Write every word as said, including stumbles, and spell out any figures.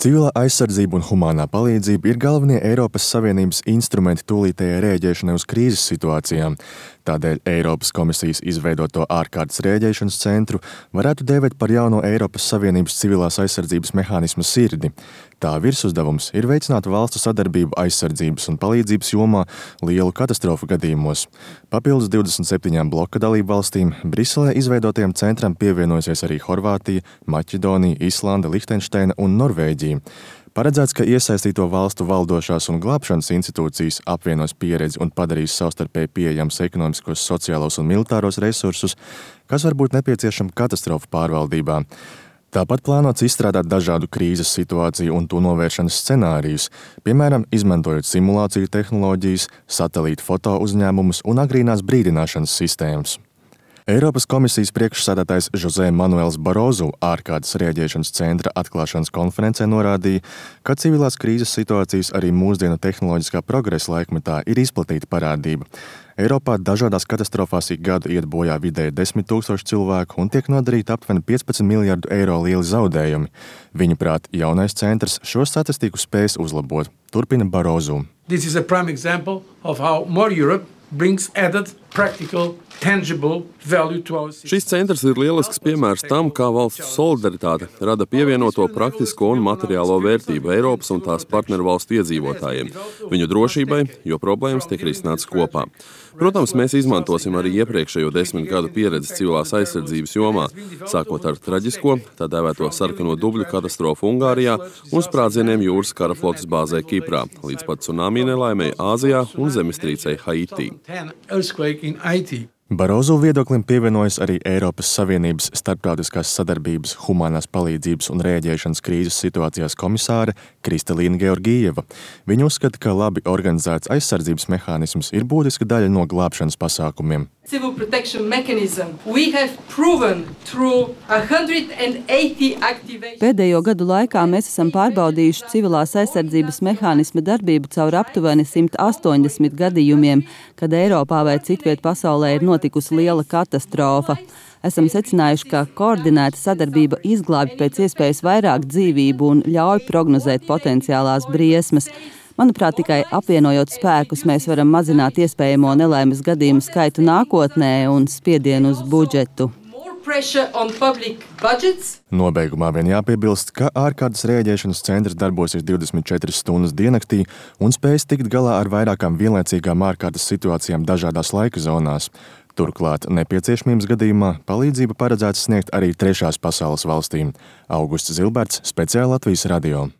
Civilā aizsardzība un humānā palīdzība ir galvenie Eiropas Savienības instrumenti tūlītējai rēģēšanai uz krīzes situācijām. Tādēļ Eiropas komisijas izveidoto ārkārtas rēģēšanas centru varētu dēvēt par jauno Eiropas Savienības civilās aizsardzības mehānisma sirdi. Tā virsuzdevums ir veicināt valstu sadarbību aizsardzības un palīdzības jomā lielu katastrofu gadījumos. Papildus divdesmit septiņām bloka dalību valstīm Briselē izveidotajam centram pievienojusies arī Horvātija, Maķedonija, Islande, Lihtenšteina un Norvēģija. Paredzēts, ka iesaistīto valstu valdošās un glābšanas institūcijas apvienos pieredzi un padarīs savstarpēji pieejams ekonomiskos, sociālos un militāros resursus, kas var būt nepieciešami katastrofu pārvaldībā. Tāpat plānots izstrādāt dažādu krīzes situāciju un to novēršanas scenārijus, piemēram, izmantojot simulāciju tehnoloģijas, satelītu foto uzņēmumus un agrīnās brīdināšanas sistēmas. Eiropas komisijas priekšsēdētājs José Manuels Barozu ārkārtas rēģēšanas centra atklāšanas konferencē norādīja, ka civilās krīzes situācijas arī mūsdienu tehnoloģiskā progresa laikmetā ir izplatīta parādība. Eiropā dažādās katastrofās ik gadu iet bojā vidēji desmit tūkstoši cilvēku un tiek nodarīti aptuveni piecpadsmit miljardu eiro lieli zaudējumi. Viņuprāt, jaunais centrs šo statistiku spēs uzlabot. Turpina Barozu. This is a prime example of how more Europe brings added practical tangible value to our system. Šis centrs ir lielisks piemērs tam, kā valstu solidaritāte rada pievienoto praktisko un materiālo vērtību Eiropas un tās partneru valstu iedzīvotājiem, viņu drošībai, jo problēmas tiek risinātas kopā. Protams, mēs izmantosim arī iepriekšējo desmit gadu pieredzi civilās aizsardzības jomā, sākot ar traģisko, tā dēvēto sarkano dubļu katastrofu Ungārijā un sprādzieniem jūras karaflotes bāzē Kiprā, līdz pat cunami nelaimei Āzijā un zemestrīcei Haitī. Barozu viedoklim pievienojas arī Eiropas Savienības starptautiskās sadarbības, humānās palīdzības un rēģēšanas krīzes situācijās komisāre Kristalīna Georgieva. Viņa uzskata, ka labi organizēts aizsardzības mehānisms ir būtiska daļa no glābšanas pasākumiem. Civil protection mechanism. We have proven through one hundred eighty activations. Pēdējo gadu laikā mēs esam pārbaudījuši civilās aizsardzības mehānisma darbību caur aptuveni simt astoņdesmit gadījumiem, kad Eiropā vai citviet pasaulē ir notikusi liela katastrofa. Esam secinājuši, ka koordinēta sadarbība izglābj pēc iespējas vairāk dzīvību un ļauj prognozēt potenciālās briesmas. Manuprāt, tikai apvienojot spēkus, mēs varam mazināt iespējamo nelaimes gadījumu skaitu nākotnē un spiedienu uz budžetu. Nobeigumā vien jāpiebilst, ka ārkārtas rēģēšanas centrs darbosies divdesmit četras stundas diennaktī un spēs tikt galā ar vairākām vienlaicīgām ārkārtas situācijām dažādās laika zonās. Turklāt nepieciešamības gadījumā palīdzība paredzēts sniegt arī trešās pasaules valstīm. Augusts Zilberts, speciāli Latvijas radio.